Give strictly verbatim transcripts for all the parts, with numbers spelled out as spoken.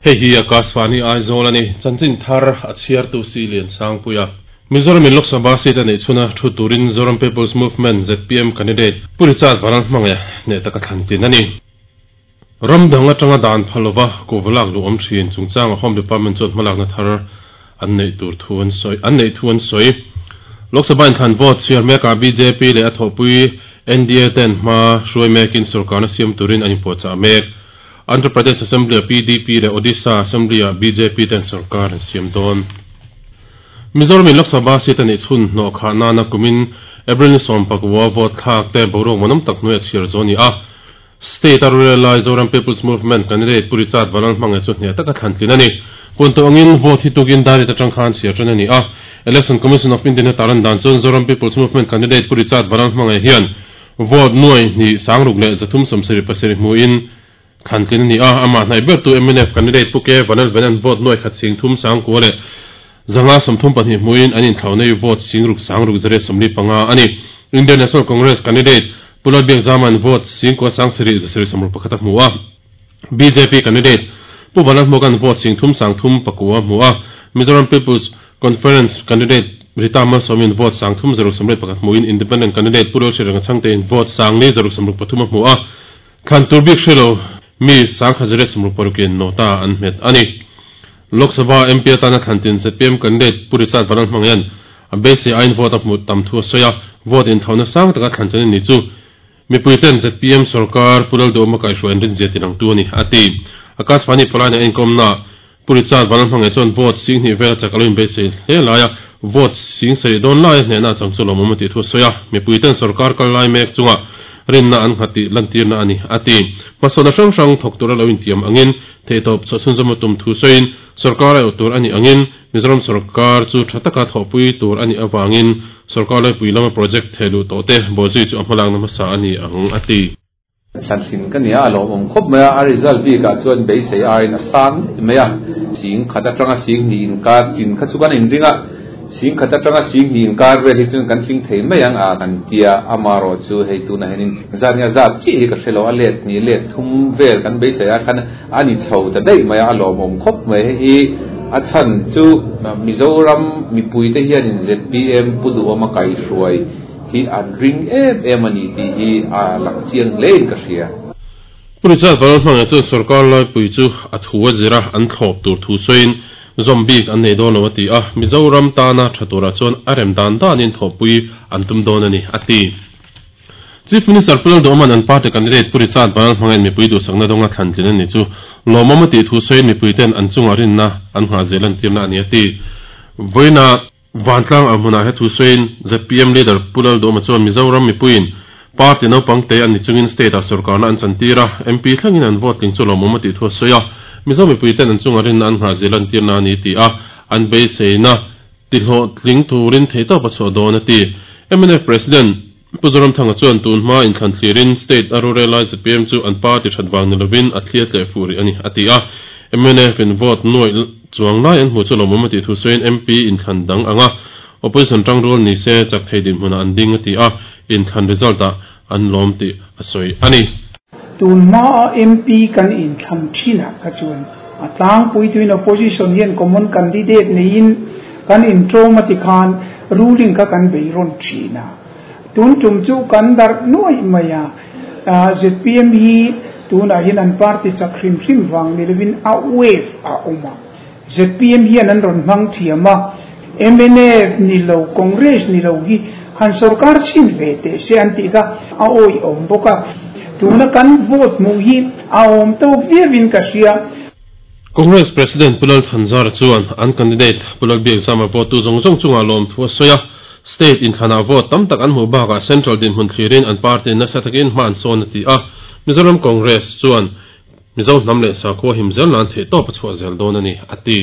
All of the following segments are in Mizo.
Hei hi Akashvani Aizawl ani chanchin thar a chhiar tu si lian sangpuia Mizoram in Lok Sabha seat ani chuna thu turin Zoram People's Movement Z P M candidate Purichad Vanal hmanga ne taka thlantin ani Ramdang atanga dan phalova kovalak lu om thin chungchang Home Department chuan hmalak na thar an nei tur thuan soi an nei thuan soi Lok Sabha in thlan vote chhiar meka B J P le a thopui N D A ten hma hruai mekin sarkar na siam turin an inpuahchah mek Andhra Pradesh Assembly P D P le Odisha Assembly B J P ten sarkar an siam dawn Mizoram in Lok Sabha seat ani chhun hnaw kha nana kumin April ni sawm pakua vote thlak te boruak manam tak hnuai a chhiar zawn ni a State Rural Lai Zoram People's Movement candidate Purichad Vanal hmanga chu hne taka thlantlin ani punto angin vote hi tukin dari ta tangkhan chhiar than ani a Election Commission of India taran dan chuan Zoram People's Movement candidate Purichad Vanal hmanga hian vote nuai ni sangruk le zathum sawmsarih pasarih hmuin thlantlin ani a ama hnai ber tu M N F candidate Puke Vanal Venan vote nuai khat sing thum sangkua le zanga sawmthum pahnih hmuin an inthlawnei vote singruk sangruk zare sawmli panga ani Indian National Congress candidate Pulal Biak Zaman vote singkua sangsarih zasarih sawmruk pakhat a hmu a B J P candidate Pu Vanal Hmuakan vote singthum sangthum pakua hmu a Mizoram People's Conference candidate Rita Malsawmin vote sangthum zaruk sawmriat pakhat hmuin Independent candidate Purel Shiranga Chhangtein vote sangli zaruk sawmruk pathum a hmu a thlan tur bik hrelo mi sangkha zare sawmruk parukin nota an hmet ani Lok Sabha M P atana thlantin Z P M candidate Purichad Vanal hmangyan a beisei ain vote a hmu tam thu a sawi a vote inthauna sang taka thlantin ani chu mipuiten Z P M sarkar Pulal Duhawma kaihhruai an rin zia tinang tu ani ati Akashvani palaina enkomna Purichad Vanal hmanga chuan vote sing hnih vel chak alo in beisei hle laia vote sing sarih dawn lai hnehna chang chu lawmawm a tih thu a sawi a mipuiten sarkar kal lai mek chunga rinna an nghati lantirna ani ati hmasawna hrang hrang thawk tur alo intiam angin theitawp chawhchhunzawm a tum thu sawiin sarkar a tur ani angin Mizoram sarkar chu tha taka thawhpui tur ani awangin sarkar laipui lama project thehluh tawh te bawhzui chu a hmalakna hmasa ani ang ati thlantlin ka nia a lawmawm khawp mai a a result bikah chuan beisei aiin a sang mai a sing khat atanga sing hnih inkar tin kha chu kan inringa sing khat atanga sing hnih inkar vel hi chuan kan tling thei mai ang a kan tia amaro chu hei tuna henin zat nia zat chi hi ka hrelo a let ni let thum vel kan beisei a khan ani chho ta dei mai a lawmawm khawp mai hi a chan chu Mizoram mipui te hian in Z P M Pu Duhawma kaihhruai hi an ring em em ani ti hi a lang chiang hlein ka hria Purichad Vanal hmanga chuan sarkar laipui chu a thu a zira an thlawp tur thu sawiin zombie an nei dawn lo a ti a Mizoram tana tha turah chuan a rem dan danin thawhpui an tum dawn ani ati Chief Minister Pulal Duhawman an party candidate Purichad Vanal hmanga mipui duhsakna dawnga thlantlin ani chu lawmawm a tih thu sawiin mipuiten an chunga rinna an nghah zel an tirna ani ati vawiina vantlang a hmunah he thu sawiin Z P M leader Pulal Duhawma chuan Mizoram mipuiin party naupang te an ni chungin state a sarkarna an chantira M P thlengin an vote tling chu lawmawm a tih thu a sawi a Mizo mipuiten an chunga rinna an nghah zel an tirna ani ti a an beiseina tihlawh tling turin theitawp a chhuah dawn a ti M N F President Pu Zoramthanga chuan tun hma inthlan thlirin state a rural lai Z P M chu an party that wang ni lovin a thlia tleh furi ani ati a M N F in vote nuai chuang lai an hmu chu lawmawm a tih thu sawiin M P inthlan dang anga opposition tang rul ni se chak thei din hmuna an ding a ti a inthlan result ah an lawm tih a sawi ani tun ma M P kan inthlan thina ka chuan a tlang pui tuin opposition hian common candidate nei in kan intro mati khan ruling ka kan beiron thina tun tum chu kan dar nuai maya Z P M hi tuna hin an party chak hrim hrim wang nilvin a wave a uma Z P M hian an ron hmang thiama M N F ni lo Congress ni lo hi han sarkar chin ve te se an ti ka a oi om boka tuna kan vote mu hi a om to viewin ka sia Congress President Pulal Thanzar chuan an candidate Pulal Biak Zama vote tu zong zong chunga lawm thu a sawi a state in thana vote tam tak an hmu bakah central din hmun thlirin an party nasa takin hma an sawn a ti a Mizoram Congress chuan Mizo hnam leh sakhua him zel nan theih tawp a chhuah zel dawn ani ati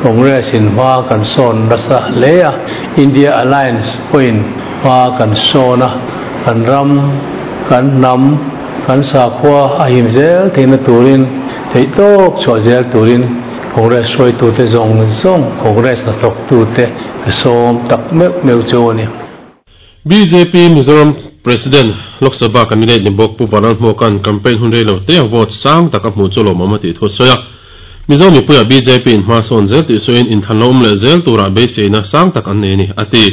Congress in hma kan sawn nasa hle a India Alliance pawhin hma kan sawn a kan ram kan hnam kan sakhua a him zel theihna turin theih tawp chhuah zel turin Congress hruaitu te zawng zawng Congress na thawk tu te sawm tak meuh meuh chu ani B J P Mizoram President Lok Sabha candidate ni bawk Pu Vanal Hmuakan campaign hun rei lo te a vote sang tak a hmu chu lawmawm a tih thu a sawi a Mizo mipuia B J P in hma sawn zel tih sawiin inthlan lo awm leh zel turah beiseina sang tak an nei a ni a ti.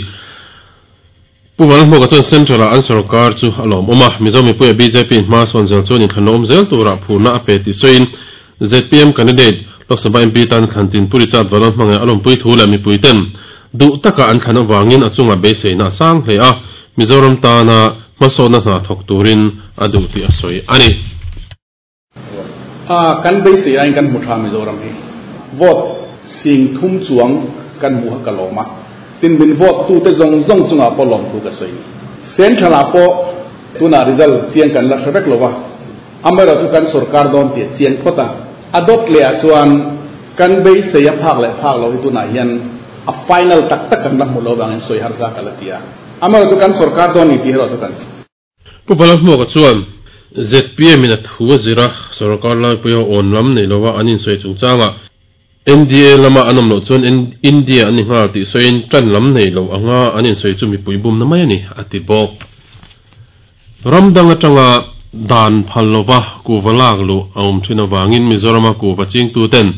Pu Vanlalhmuaka chuan Central-ah an sarkar chu a lawm awm a, Mizo mipuia B J P in hma sawn zel chuan inthlan lo awm zel turah phurna a pe tih sawiin Z P M candidate Lok Sabha M P tan thlan tin Pu Richard Vanlalhmangaih a lawmpui thu leh mipui ten duh taka an thlan avangin a chunga beiseina a sang hle a, Mizoram tana hmasawna hna thawk turin a duh tih a sawi a ni. A kan beisei ain kan hmu tha Mizoram hi vote sing thum chuang kan hmu ka lawma tin min vote tu te zong zong chunga pawh lawm thu ka sawi Central ah pawh tuna result chiang kan la hrevek lowa amara chu kan sarkar dawn ti chiang khota adot le a chuan kan beisei a phak le phak lo hi tuna hian a final tak tak kan la hmu lo wangin sawi har za kalatia amara chu kan sarkar dawn ni ti hero chu kan Pu Vanlalhmuaka chuan Z P M in a thu a zira sarkar lai puia awn lam nei lowa an insawi chungchanga N D A lama an awm loh chuan India an ni nghal tih sawiin tan lam nei lo anga an insawi chu mipui bum na mai a ni a ti bawk. Ramdang atanga dan phal lova kuva lak lu a awm thin awangin Mizorama kuva chingtu ten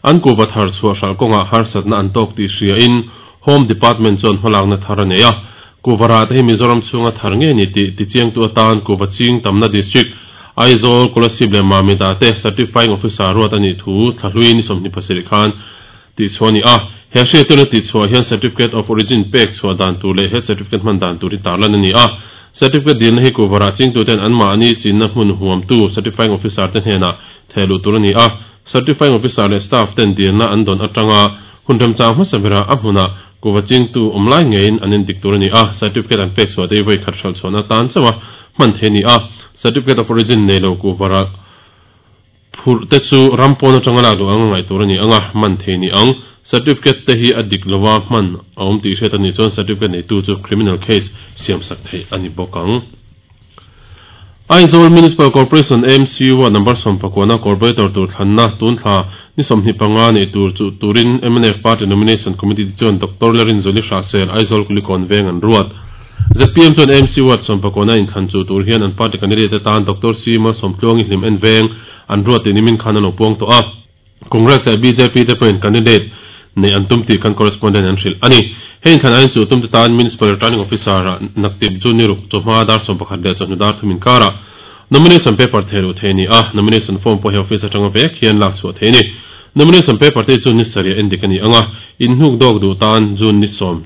an kuva thar chhuah hral kawnga harsatna an tawk tih hria in Home Department chuan hmalakna thar a nei a. Kuvara te hi Mizoram chhunga thar nge ni tih tichiangtu atan kuva ching tamna district Aizawl Kolasib leh Mamita te certifying officer ruat ani thu thlahlui ni sawmhnih pasarih khan tih chhuah ani a. He hriattirna tih chhuah hian certificate of origin pek chhuah dan tur leh he certificate hman dan tur hi tarlan ani a. Certificate dilna hi kuvara chingtu ten an mahni chinna hmun huamtu certifying officer te hnenah thehluh tur ani a. Certifying officer leh staff ten dilna an dawn atanga hun remchang hmasa bera a hmuna kuva chingtu awm lai ngein an indik tur ani a. Certificate an pek chhuah te hi voi khat hral chhuahna tan chawa hman thei ani a. Certificate of origin nei lo kuvara phurh te chu rampawn atanga lak duh ang ngai tur ani anga man thei ni ang. Certificate te hi a dik lowa hman a awm tih hriat ani chuan certificate nei tu chu criminal case siam sak thei ani bawk ang. Aizawl Municipal Corporation M C U number sawm pakwana corporator tur thlanna tun thla ni sawmhnih panga nei tur chu turin M N F Party Nomination Committee chuan Doctor Lerin Zoli Hrasel Aizawl Kulikon veng an ruat. Z P M chuan M C U sawm pakwana in thlan chu tur hian an party candidate tan Doctor C Ma Sawmtluangi hlim en veng an ruat ti nimin khan an lo puang tawh a. Congress leh B J P te pawhin candidate nei an tum tih kan correspondent an hrilh ani. Heng khan ain chu tum te tan Municipal Returning Officer naktip chu ni ruk chawhma dar sawm pakhat leh chawhnu dar thumin kara nomination paper thehluh thei ani a. Nomination form pawh hi office atanga vek hian lak chhuah thei ani. Nomination paper te chu ni sarih endik ani anga in hnuk dawk duh tan June ni sawm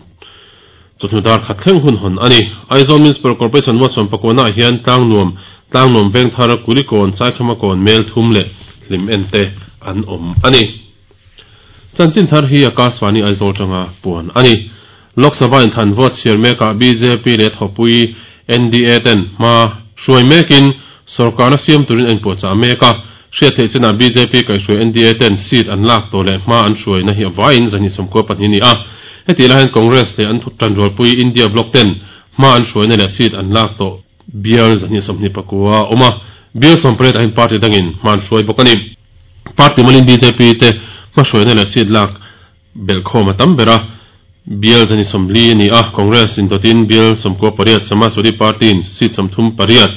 chawhnu dar khat thleng hun hawn ani. Aizawl Municipal Corporation ward sawm pakwana hian tlang nuam tlang nuam veng thar Kulikawn Chaikhama kawn mel thum leh hlim en te an awm ani. Chanchin thar hi Akashvani Aizawl tanga puan ani. Lok Sabha in than vote chhiar meka B J P leh thawpui N D A ten hma hruai mekin sarkarna siam turin an puahchah mek a. Hriat theih chenah B J P kaihhruai N D A ten seat an lak tawh leh hma an hruaina hi avaiin zahnih sawmkua pahnih ni a. Heti lai hian Congress leh an tanrualpui India Bloc ten hma an hruaina leh seat an lak tawh bial zahnih sawmhnih pakua awm a. Bial sawmpariat ahin party dangin hma an hruai bawk ani. Party malin B J P te hma hruaina leh seat lak belkhawm a tam bera bial zahnih sawmli ani a. Congress in dawtin bial sawmkua pariat Samajwadi Party in seat sawmthum pariat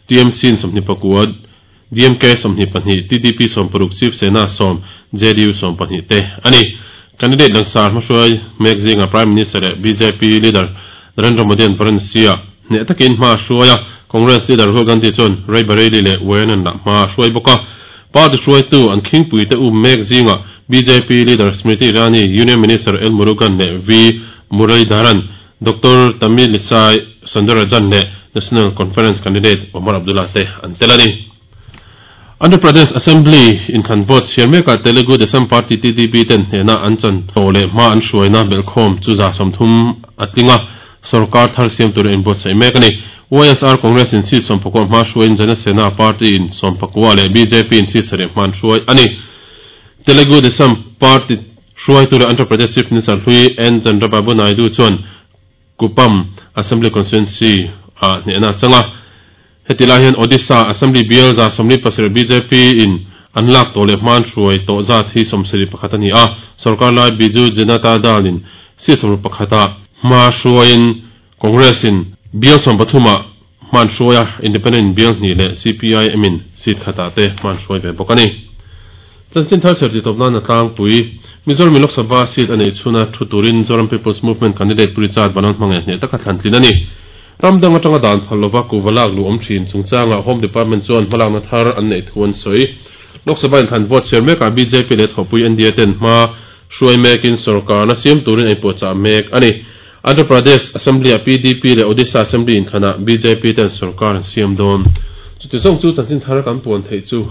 T M C in sawmhnih pakua D M K sawmhnih pahnih T D P sawm paruk Chief Sena sawm J D U sawm pahnih te ani. Candidate langsar hma hruai mek zinga Prime Minister leh B J P leader Narendra Modi an Varanasi hneh takin hma hruai a. Congress leader Rahul Gandhi chuan Ray Bareilly leh Wayanad lah hma hruai bawk a. Party hruaitu an khingpui te um mek zinga B J P leader Smriti Irani, Union Minister L Murugan leh V Muralidharan, Doctor Tamilisai Soundararajan leh National Conference candidate Omar Abdullah te an tel ani. Andhra Pradesh Assembly in thlan vote chhiar meka Telugu Desam Party T D P ten hnehna an chan tawh leh hma an hruaina belkhawm chu za sawmthum a tlinga sarkar thar siam tur in buatsaih mek ani. Y S R Congress in seat sawm pakua hma hruaiin Jana Sena Party in sawm pakua leh B J P in seat sarih hma an hruai ani. Telugu Desam Party hruai tur Andhra Pradesh Chief Minister hlui N Chandrababu Naidu chuan Kupam Assembly Constituency a hnehna changa. Heti lai hian Odisha Assembly bial za sawmli pasarih B J P in an lak tawh leh hma an hruai tawh zat hi sawmsarih pakhat ani a. Sarkar lai Biju Janata Dal in seat sawmruk pakhata hma hruaiin Congress in bial sawm pathuma hma an hruai a. Independent bial hnih leh C P I M in seat khatah te hma an hruai ve bawk ani. Chanchin thar cher ti tawp nan a tlangpui. Mizoram Lok Sabha seat a neih chhuna thu turin Zoram People's Movement candidate Pu Richard Vanlalhmangaiha hneh taka thlan tlin a ni. Ram dang atanga dan phal lova kuhva lak luh awm thin chungchangah Home Department chuan hmalakna thar an neih thu an sawi. Lok Sabha inthlan vote chhiar mekah B J P leh thawhpui N D A ten hma hruai mekin sorkarna siam turin a inpuahchah mek a ni. Andhra Pradesh Assembly-ah P D P leh Odisha Assembly inthlanah B J P ten sorkar an siam dawn. Chuti zawng chu chanchin thar kan puan theih chu.